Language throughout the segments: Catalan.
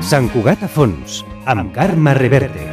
Sant Cugat a fons, amb Carme Reverte.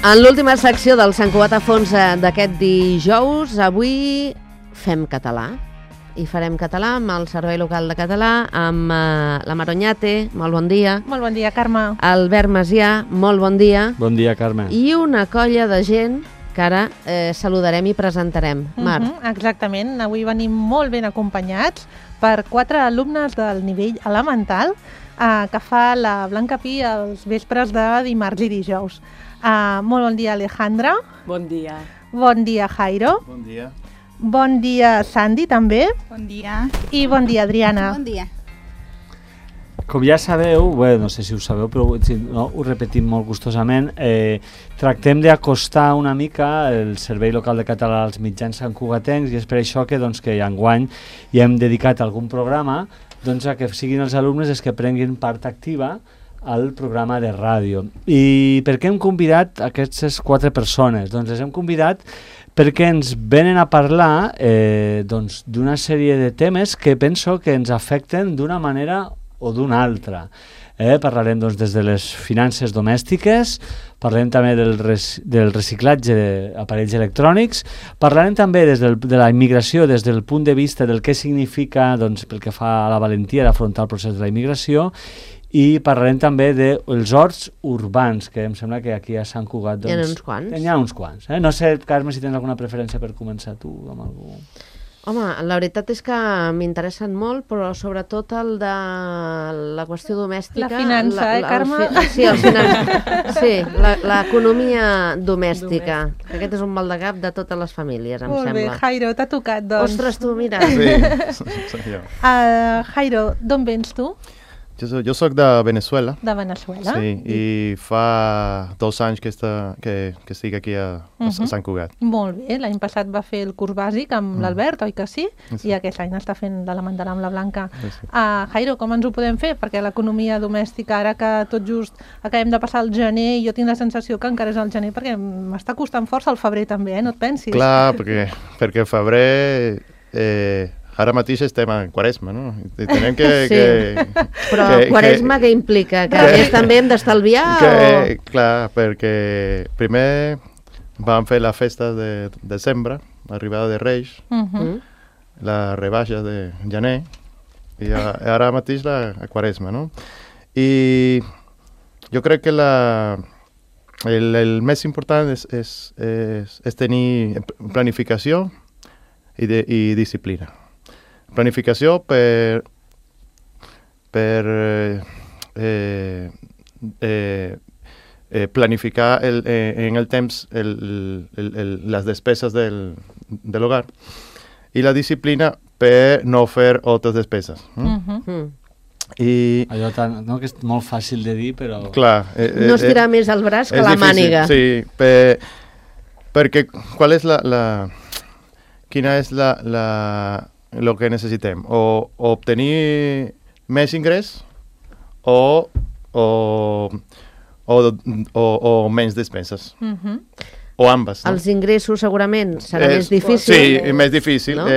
En l'última secció del Sant Cugat a fons d'aquest dijous, avui fem català. I farem català amb el Servei Local de Català, amb la Maroñate, molt bon dia. Molt bon dia, Carme. Albert Macià, molt bon dia. Bon dia, Carme. I una colla de gent que ara saludarem i presentarem. Mar. Exactament, avui venim molt ben acompanyats per 4 alumnes del nivell elemental que fa la Blanca Pi els vespres de dimarts i dijous. Molt bon dia, Alejandra. Bon dia. Bon dia, Jairo. Bon dia. Bon dia, Sandy, també. Bon dia. I bon dia, Adriana. Bon dia. Com ja sabeu, bé, no sé si ho sabeu, però si no, ho repetim molt gustosament, tractem d'acostar una mica el Servei Local de Català als mitjans santcugatencs i és per això que, doncs, que enguany hi hem dedicat algun programa doncs, a que siguin els alumnes els que prenguin part activa al programa de ràdio. I per què hem convidat aquestes 4 persones? Doncs les hem convidat perquè ens venen a parlar doncs, d'una sèrie de temes que penso que ens afecten d'una manera o d'una altra. Parlarem doncs, des de les finances domèstiques, parlarem també del reciclatge d'aparells electrònics, parlarem també de la immigració des del punt de vista del què significa doncs, pel que fa a la valentia d'afrontar el procés de la immigració, i parlarem també dels horts urbans, que em sembla que aquí a Sant Cugat... Doncs, hi ha uns quants. Hi ha uns quants. No sé, Carme, si tens alguna preferència per començar tu amb algú... Home, la veritat és que m'interessen molt, però sobretot el de la qüestió domèstica... La finança, Carme? Sí, l'economia domèstica. Aquest és un mal de cap de totes les famílies, em sembla. Molt bé, Jairo, t'ha tocat, doncs. Ostres, tu, mira. Sí, soy yo. Jairo, d'on vens tu? Yo soy de Venezuela. De Venezuela. Sí, i fa 2 anys que estic aquí a Sant Cugat. Molt bé, l'any passat va fer el curs bàsic amb l'Albert, oi que sí? Sí. I aquest any està fent l'elemental amb la Blanca. Sí. Jairo, com ens ho podem fer? Perquè l'economia domèstica, ara que tot just acabem de passar el gener, jo tinc la sensació que encara és el gener, perquè m'està costant força el febrer també, no et pensis? Clar, perquè el febrer... Ara mateix estem en Quaresma, no? I tenem que... Sí, però Quaresma què implica? Que a més també hem d'estalviar? Clar, perquè primer vam fer la festa de desembre, l'arribada de Reis, la rebaixa de gener, i ara mateix la Quaresma, no? I jo crec que el més important és tenir planificació i disciplina. Planificació per planificar en el temps les despeses de l'hogar i la disciplina per no fer altres despeses. I allò no, que és molt fàcil de dir, però... Clar, no estirar més el braç que la màniga. Sí, perquè quina és lo que necessitem, o obtenir més ingrés o menys despeses, o ambas, ¿no? Els ingressos segurament serà més difícil. Sí, més difícil, ¿no?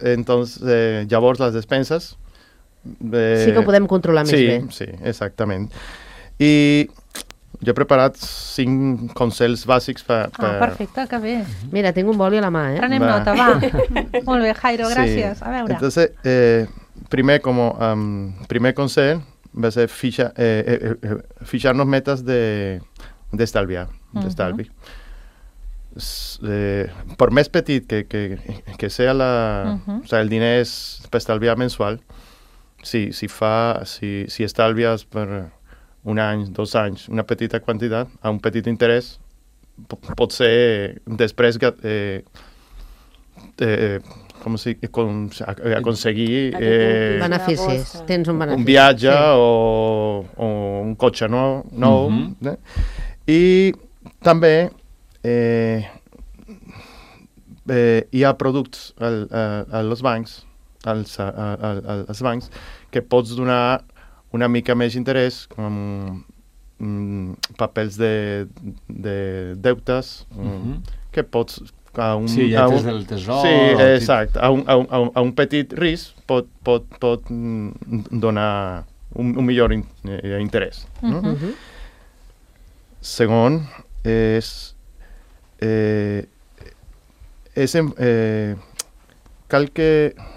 Entonces, llavors les despenses... sí que ho podem controlar més bé. Sí, exactament. I jo he preparat 5 consells bàsics per... perfecte, que bé. Mira, tinc un boli a la mà, Prenem nota, va. Molt bé, Jairo, gràcies. Sí. A veure. Entonces, primer consell va ser fijar-nos metes d'estalvi. Per més petit que sea o sea, el diner és per estalviar mensual, si estalvies per... 1 any, 2 anys, una petita quantitat, a un petit interès, pot ser després aconseguir beneficis. Tens un benefici. Un viatge o un cotxe nou. I també hi ha productes als bancs, als bancs que pots donar una mica més interès, com papers de deutes, que pots... lletres del tesor. Sí, exacte. A un petit risc pot donar un millor interès. Segon,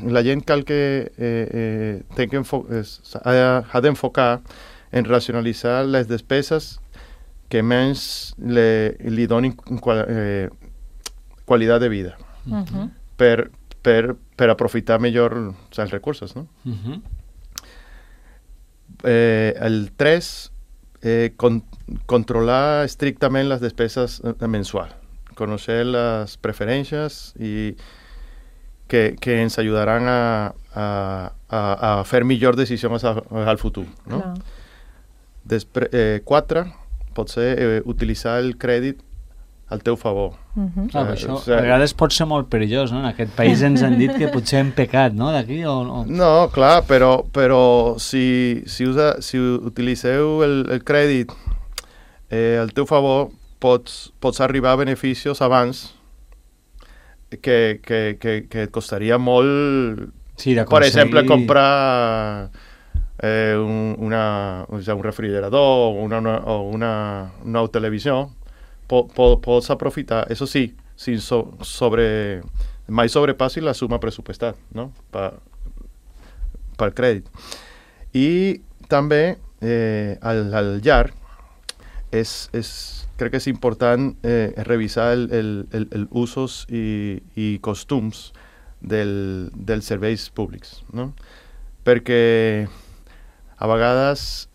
la gent ha d'enfocar en racionalitzar les despeses que menys li donin qualitat de vida per aprofitar millor els recursos, no? El 3, controlar estrictament les despeses mensuals, conèixer les preferències i que ens ajudaran a fer millor decisions al futur, no? 4, potser utilitzar el crèdit al teu favor. Clar, això a vegades pot ser molt perillós, no? En aquest país ens han dit que potser hem pecat, no? D'aquí o... No, clar, però si utilitzeu el crèdit al teu favor, pots arribar a beneficis abans que et costaria molt, per exemple, comprar un refrigerador o una nova televisió. Pots aprofitar, eso sí, mai sobrepassi la suma pressupostada, no? Pel crèdit. I també al llarg crec que és important revisar els usos i costums dels serveis públics, no? Perquè a vegades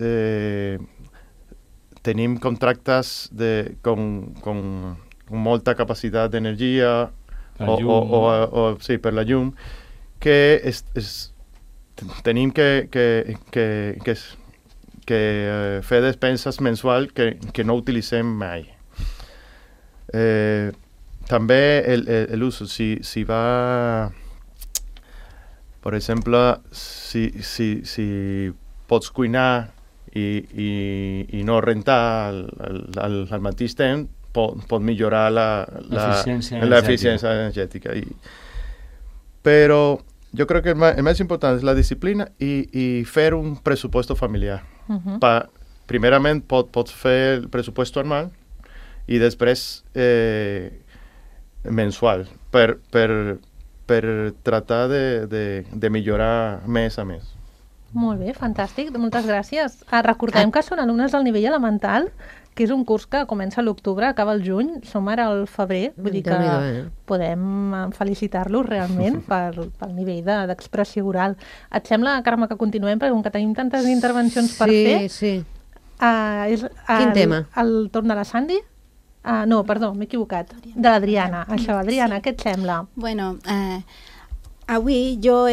tenim contractes con molta capacitat d'energia per la llum, que tenim que fer despenses mensuals que no utilitzem mai. També l'ús, si va, per exemple, si pots cuinar i no rentar al mateix temps, pot millorar l'eficiència energètica. Però jo crec que el més important és la disciplina i fer un pressupost familiar. Primerament pots fer el pressupost anual i després mensual per tratar de millorar mes a mes. Molt bé, fantàstic, moltes gràcies. Recordem que són alumnes del nivell elemental, que és un curs que comença a l'octubre, acaba el juny, som ara al febrer, vull dir que podem felicitar-los realment pel nivell d'expressió oral. Et sembla, Carme, que continuem, perquè com que tenim tantes intervencions per fer... Sí. Quin tema? El torn de la Sandy? No, perdó, m'he equivocat. De l'Adriana, això. Adriana, què et sembla? Bueno, avui jo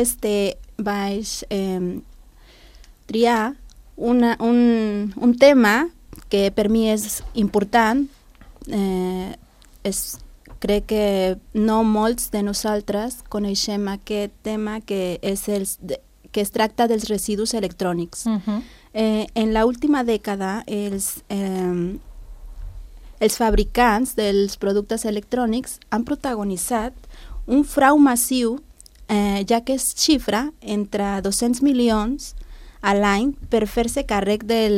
vaig triar un tema que per mi és important. Crec que no molts de nosaltres coneixem aquest tema que es tracta dels residus electrònics. En l'última dècada, els fabricants dels productes electrònics han protagonitzat un frau massiu, ja que es xifra entre 200 milions a l'any per fer-se càrrec de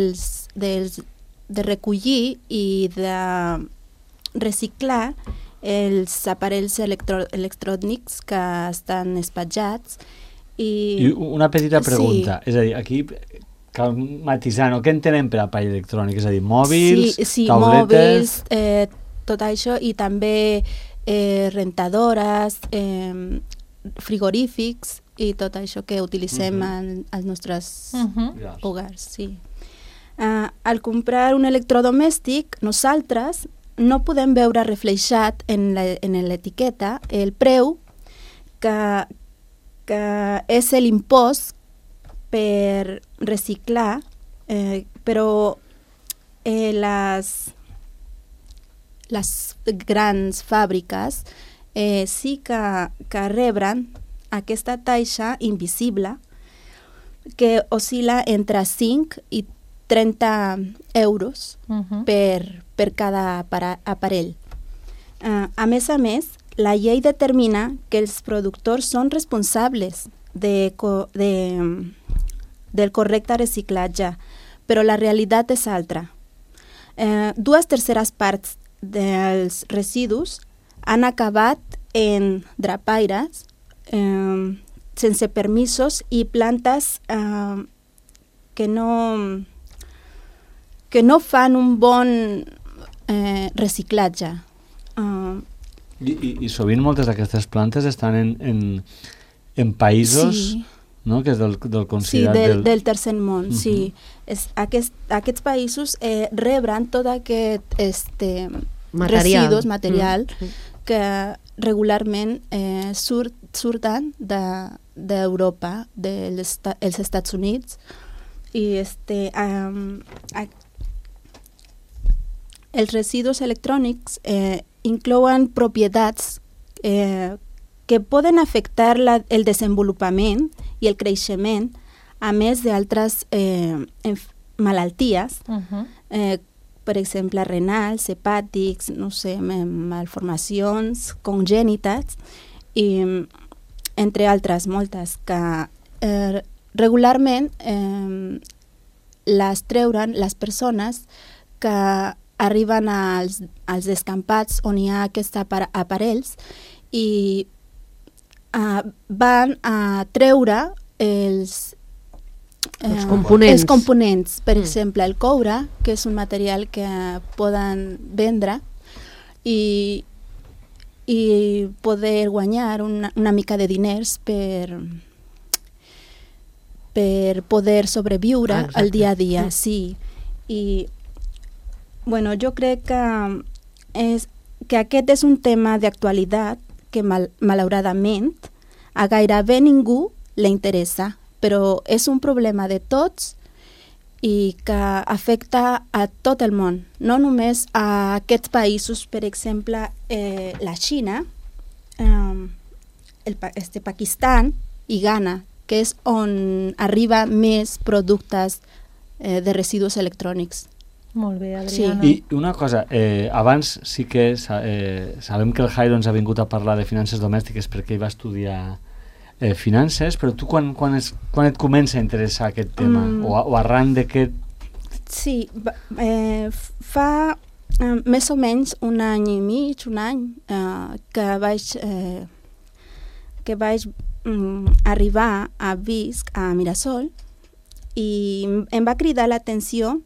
recollir i de reciclar els aparells electrònics que estan espatjats. I una petita pregunta, és a dir, aquí cal matisar, no? Què entenem per aparell electrònic? És a dir, mòbils, tauletes... Mòbils, tot això, i també rentadores, frigorífics i tot això que utilitzem als nostres hogars. Sí. Al comprar un electrodomèstic, nosaltres no podem veure reflexat en l'etiqueta el preu que és l'impost per reciclar, però les grans fàbriques sí que rebren aquesta taxa invisible que oscil·la entre 5 i 30 euros per cada aparell. A més, la llei determina que els productors són responsables del correcte reciclatge, però la realitat és altra. 2/3 parts dels residus han acabat en drapaires sense permisos i plantes que no fan un bon reciclatge. I sovint moltes d'aquestes plantes estan en països, sí, no? Que és del considerat del tercer món, sí. Aquests països rebren tot aquest residus, material, que regularment surten d'Europa, dels Estats Units, i els residus electrònics inclouen propietats que poden afectar el desenvolupament i el creixement, a més d'altres malalties, per exemple, renals, hepàtics, no sé, malformacions congènites, i entre altres moltes, que regularment les treuran les persones que arriben als descampats on hi ha aquests aparells i van a treure els components. Per exemple, el coure, que és un material que poden vendre i poder guanyar una mica de diners per poder sobreviure al dia a dia. Sí. I bueno, jo crec que aquest és un tema d'actualitat que malauradament a gairebé ningú li interessa, però és un problema de tots i que afecta a tot el món, no només a aquests països, per exemple, la Xina, Pakistan i Ghana, que és on arriba més productes de residus electrònics. Molt bé, Adriana. I una cosa, abans sí que sabem que el Jairo ens ha vingut a parlar de finances domèstiques perquè ell va estudiar finances, però tu quan et comença a interessar aquest tema? O arran d'aquest... Sí, fa més o menys un any i mig, que vaig arribar a Visc, a Mirasol, i em va cridar l'atenció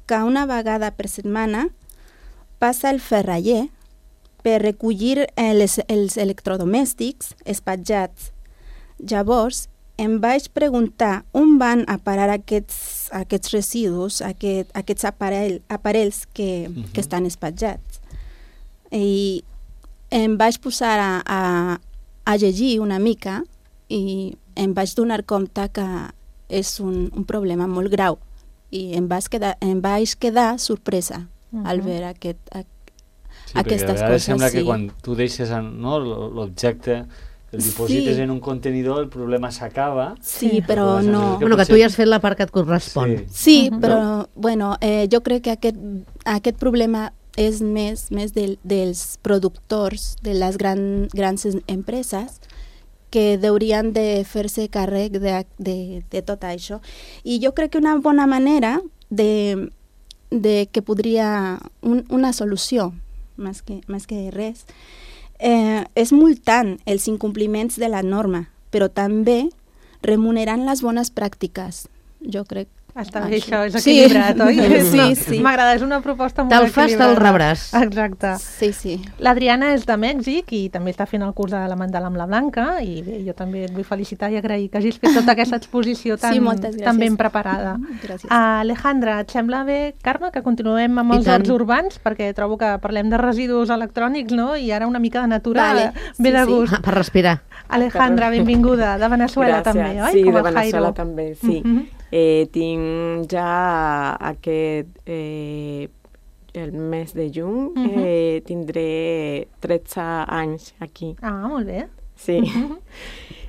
que una vegada per setmana passa el ferraller per recollir els electrodomèstics espatjats. Llavors, em vaig preguntar on van a parar aquests residus, aquests aparells que estan espatjats. I em vaig posar a llegir una mica i em vaig donar compte que és un problema molt greu. I em vaig quedar sorpresa al veure aquestes coses. Sembla que quan tu deixes l'objecte, el diposites en un contenidor, el problema s'acaba. Sí, però no. Bueno, que tu ja has fet la part que et correspon. Sí, però bueno, jo crec que aquest problema és més dels productors, de les grans empreses, que haurien de fer-se càrrec de tot això. I jo crec que una bona manera de que podria una solució, més que res, és multant els incompliments de la norma, però també remunerant les bones pràctiques. Jo crec Està bé, això, és Sí. equilibrat, oi? Sí, sí. M'agrada, és una proposta molt Te'l fas, equilibrada. te'l rebràs. Exacte. Sí, sí. L'Adriana és de Mèxic i també està fent el curs de Elemental amb la Blanca i bé, jo també et vull felicitar i agrair que hagis fet tota aquesta exposició tan, Sí, moltes gràcies. tan ben preparada. Gràcies. Alejandra, et sembla bé, Carme, que continuem amb I els tant. horts urbans? Perquè trobo que parlem de residus electrònics, no? I ara una mica de natura Vale, ve sí, de sí. gust. Per respirar. Alejandra, benvinguda, de Veneçuela Gràcies. també, oi? Sí, Com de el Veneçuela Jairo. també, sí. Tinc ja aquest... el mes de juny tindré 13 anys aquí. Ah, molt bé. Sí.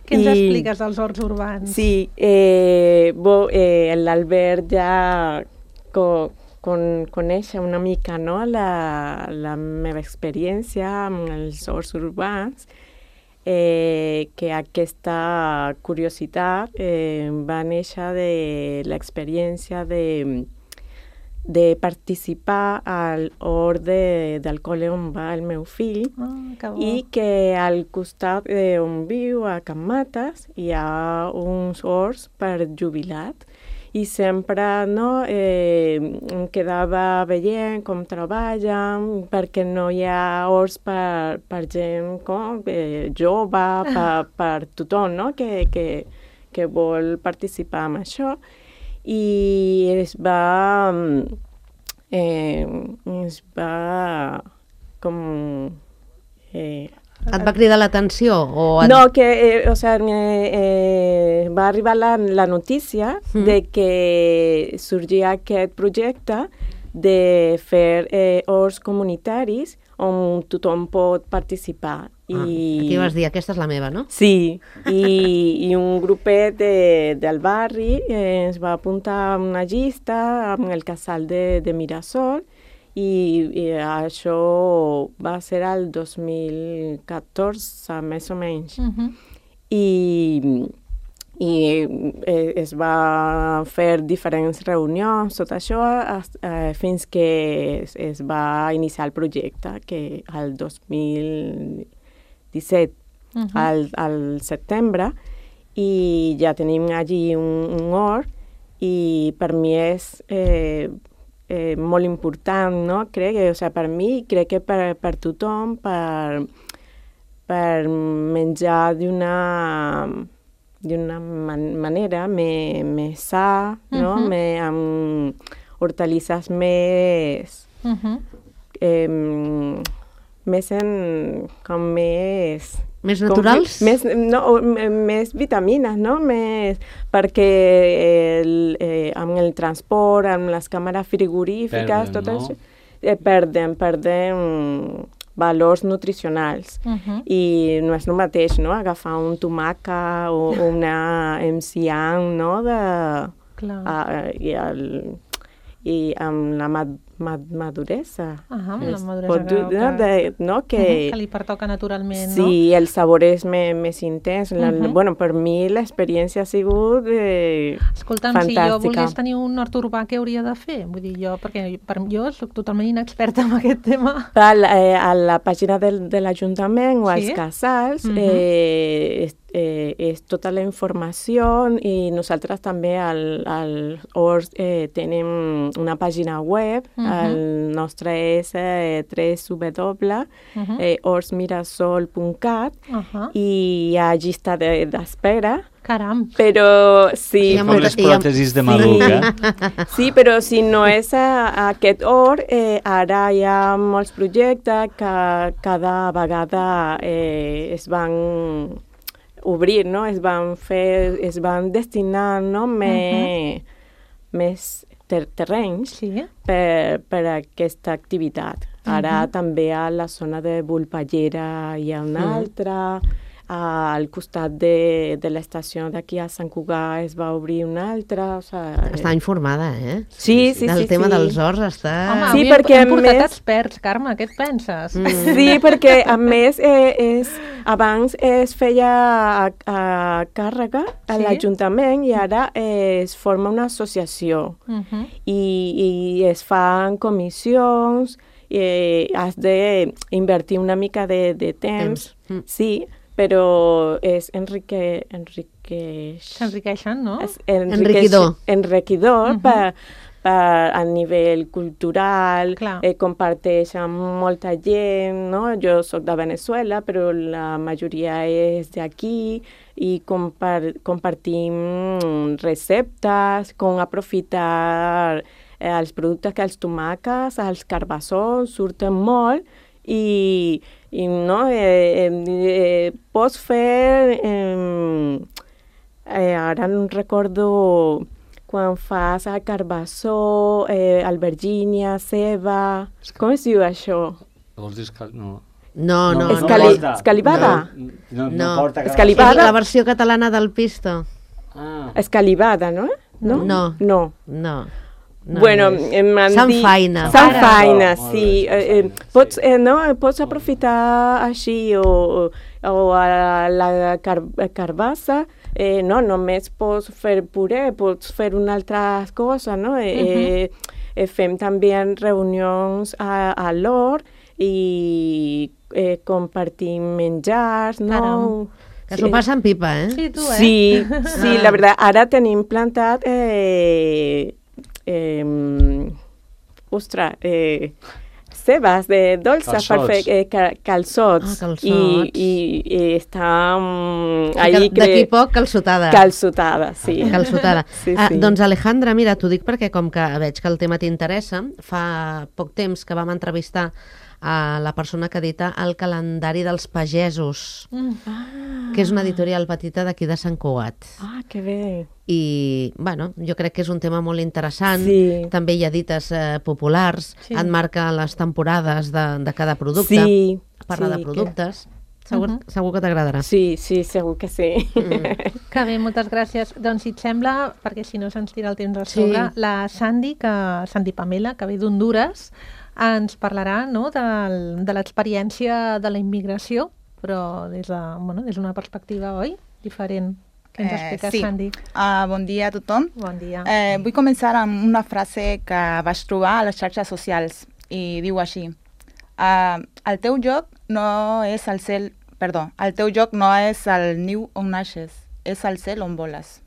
Què ens I- expliques dels horts urbans? Sí, l'Albert ja coneix una mica, no?, la meva experiència amb els horts urbans, que aquesta curiositat va néixer de l'experiència de participar al hort del col·le on va el meu fill, Ah, que bo. i que al costat on viu, a Can Mates, hi ha uns horts per jubilat. I sempre no, em quedava veient com treballen, perquè no hi ha horts per gent com, jove, per tothom, no?, que vol participar en això. I es va com... Et va cridar l'atenció? O et... No, que va arribar la notícia de que sorgia aquest projecte de fer horts comunitaris on tothom pot participar. Aquí vas dir, aquesta és la meva, no? Sí, i un grupet del barri ens va apuntar a una llista amb el casal de Mirasol, i això va ser el 2014, més o menys. I es va fer diferents reunions, tot això, fins que es va iniciar el projecte, que el 2017, al setembre, i ja tenim allí un hort, i per mi és molt important, no? Crec que, per mi, crec que per tothom, per menjar d'una manera més sa, no? Amb hortalisses més... Més naturals? Més vitamines, no? Perquè amb el transport, amb les càmeres frigorífiques, tot això, perden valors nutricionals. I no és el mateix, no?, agafar un tomàquet o una enciam, no?, i amb la maduresa. Amb la maduresa que li pertoca naturalment, no? Sí, el sabor és més intens. Bueno, per mi l'experiència ha sigut Escolta'm, fantàstica. si jo volgués tenir un hort urbà, què hauria de fer? Vull dir, perquè jo soc totalment inexperta en aquest tema. A la pàgina de l'Ajuntament o als casals és tota la informació, i nosaltres també al horts tenim una pàgina web. El nostre és www.hortsmirasol.cat i hi ha llista d'espera. Caram! Però sí... Com les pròtesis de Maluc, Sí, però si no és aquest hort, ara hi ha molts projectes que cada vegada es van obrir, no? Es van destinar, no?, més terrenys per aquesta activitat. Ara també a la zona de Vulpallera hi ha una altra, al costat de l'estació d'aquí a Sant Cugat es va obrir una altra. Està informada, Sí. Del tema dels horts està... Home, perquè hem portat experts, Carme, què et penses? Sí, perquè a més abans es feia a càrrega a l'Ajuntament i ara es forma una associació i es fan comissions, has d'invertir una mica de temps, sí, però és S'enriqueixen, no? enriquidor a nivell cultural, comparteixen molta gent, no? Jo soc de Venezuela, però la majoria és d'aquí i compartim receptes, com aprofitar els productes que els tomàquets, els carbassons surten molt i no, pots fer, ara no recordo, quan fas el carbassó, albergínia, ceba, com es diu això? Vols dir no. No. Escalivada? No porta escalivada. La versió catalana del pisto. Escalivada, no? No. Bueno, m'han dit... Sanfaina. Sanfaina, sí. Pots aprofitar així o la carbassa, no només pots fer puré, pots fer una altra cosa, no? Fem també reunions a l'hort i compartim menjars, no? Caram. Que s'ho passen pipa, eh? Sí, tu, Sí, la veritat. Ara tenim plantat cebes de dolces per fer calçots. I està d'aquí poc calçotada. Calçotada, sí. Calçotada. Sí. Doncs Alejandra, mira, t'ho dic perquè com que veig que el tema t'interessa, fa poc temps que vam entrevistar a la persona que edita el calendari dels pagesos, que és una editorial petita d'aquí de Sant Cugat. Que bé. I, bueno, jo crec que és un tema molt interessant. Sí. També hi ha dites populars, et marca les temporades de cada producte, parla de productes. Segur que t'agradarà. Sí, segur que sí. Que bé, moltes gràcies. Doncs si et sembla, perquè si no se'ns tira el temps a sobre, la Sandy Pamela, que ve d'Hondures, ens parlarà, no, de l'experiència de la immigració, però des d'una perspectiva, oi? Diferent. Què ens expliques, Sandy? Bon dia a tothom. Bon dia. Vull començar amb una frase que vaig trobar a les xarxes socials i diu així: el teu lloc no és el cel... Perdó, el teu lloc no és el niu on naixes, és el cel on voles.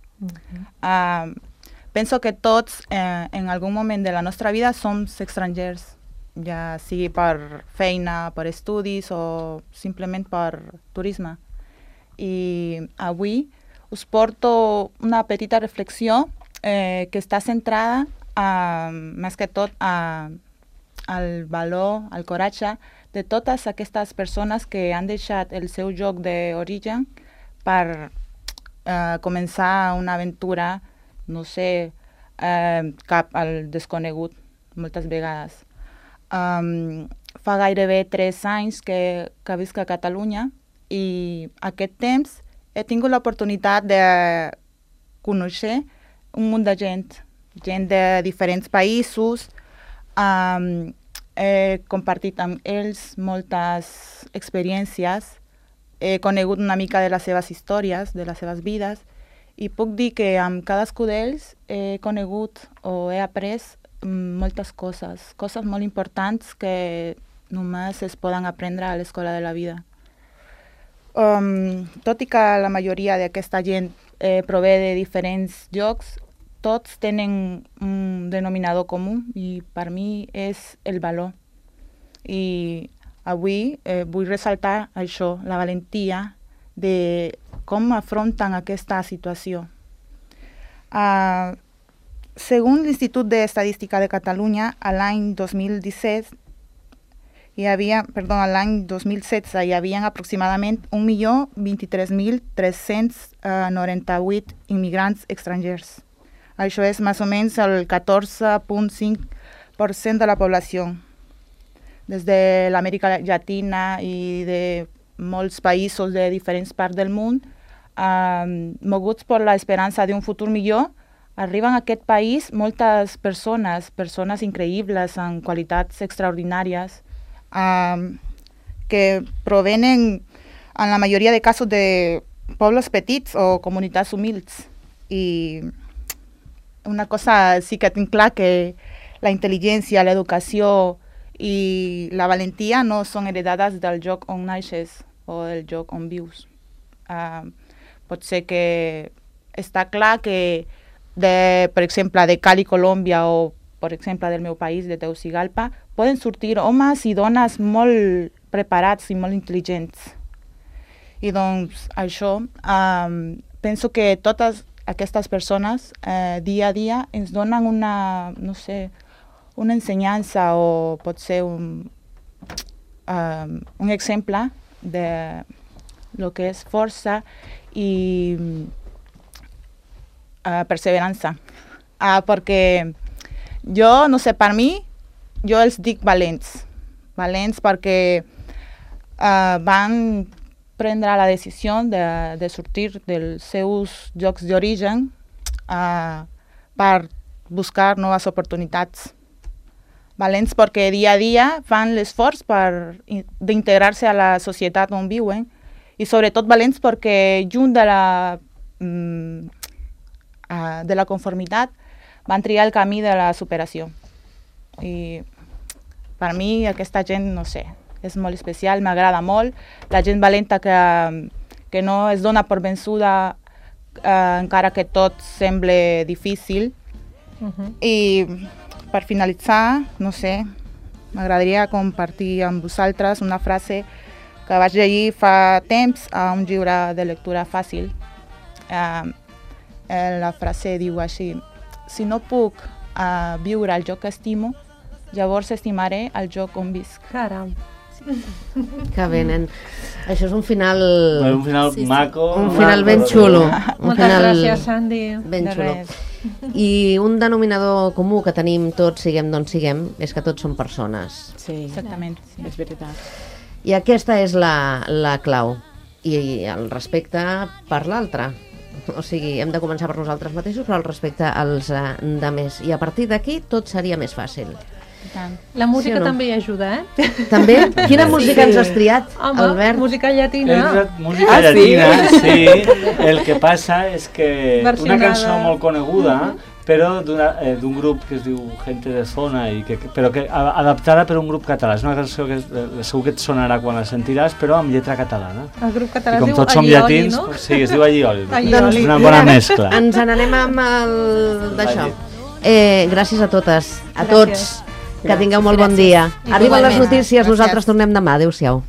Penso que tots, en algun moment de la nostra vida, som estrangers, ja sigui per feina, per estudis o simplement per turisme. I avui us porto una petita reflexió que està centrada més que tot al valor, al coratge de totes aquestes persones que han deixat el seu lloc d'origen per començar una aventura, no sé, cap al desconegut, moltes vegades. Fa gairebé 3 anys que visc a Catalunya i aquest temps he tingut l'oportunitat de conèixer un munt de gent de diferents països. He compartit amb ells moltes experiències, he conegut una mica de les seves històries, de les seves vides, i puc dir que amb cadascú d'ells he conegut o he après moltes coses molt importants que només es poden aprendre a l'escola de la vida. Tot i que la majoria d'aquesta gent prové de diferents llocs, tots tenen un denominador comú i per mi és el valor. I avui vull ressaltar això, la valentia de com afronten aquesta situació. Segons l'Institut d'Estadística de Catalunya, a l'any 2016 hi havia aproximadament 1.023.398 immigrants estrangers. Això és més o menys el 14.5% de la població. Des de l'Amèrica Llatina i de molts països de diferents parts del món, moguts per l'esperança d'un futur millor, arriben a aquest país moltes persones increïbles, amb qualitats extraordinàries, que provenen, en la majoria de casos, de pobles petits o comunitats humils. I una cosa sí que tinc clar, que la intel·ligència, l'educació i la valentia no són heredades del lloc on naixes o del lloc on vius. Pot ser que està clar que, per exemple, de Cali, Colòmbia, o, per exemple, del meu país, de Tegucigalpa, poden sortir homes i dones molt preparats i molt intel·ligents. I doncs això, penso que totes aquestes persones dia a dia ens donen una, no sé, una ensenyança o pot ser un exemple de lo que és força i perseverança. Perquè jo, no sé, per mi, jo els dic valents. Valents perquè van prendre la decisió de sortir dels seus llocs d'origen per buscar noves oportunitats. Valents perquè dia a dia fan l'esforç d'integrar-se a la societat on viuen i sobretot valents perquè junt de la conformitat van triar el camí de la superació. I per mi aquesta gent, no sé, és molt especial, m'agrada molt. La gent valenta que no es dona per vençuda encara que tot sembla difícil. I per finalitzar, no sé, m'agradaria compartir amb vosaltres una frase que vaig llegir fa temps a un llibre de lectura fàcil. La frase diu així: si no puc viure al lloc que estimo, llavors estimaré el lloc on visc. Caram. Que bé, nen. Això és un final... Un final maco. Un final ben xulo. Moltes gràcies, Sandy. Ben xulo. I un denominador comú que tenim tots, siguem d'on siguem, és que tots som persones. Sí, Exactament. Sí. és veritat. I aquesta és la clau. I el respecte per l'altre. O sigui, hem de començar per nosaltres mateixos, però el respecte als demés. I a partir d'aquí tot seria més fàcil. La música Sí o no? també hi ajuda, eh? També? Quina música ens has triat, Home, Albert? música llatina. Música llatina, sí. El que passa és que una Versionada. cançó molt coneguda, però d'un grup que es diu Gente de Zona, però que adaptada per un grup català. És una cançó que segur que et sonarà quan la sentiràs, però amb lletra catalana. El grup català I com es diu tots som Allioli, llatins, no? sí, es diu Allioli. Allioli. És una bona mescla. Ens n'anem amb el d'això. Gràcies a totes, a Gràcies. tots. Que tingueu molt bon dia. Igualment. Arriben les notícies, Gràcies. nosaltres tornem demà. Adéu-siau.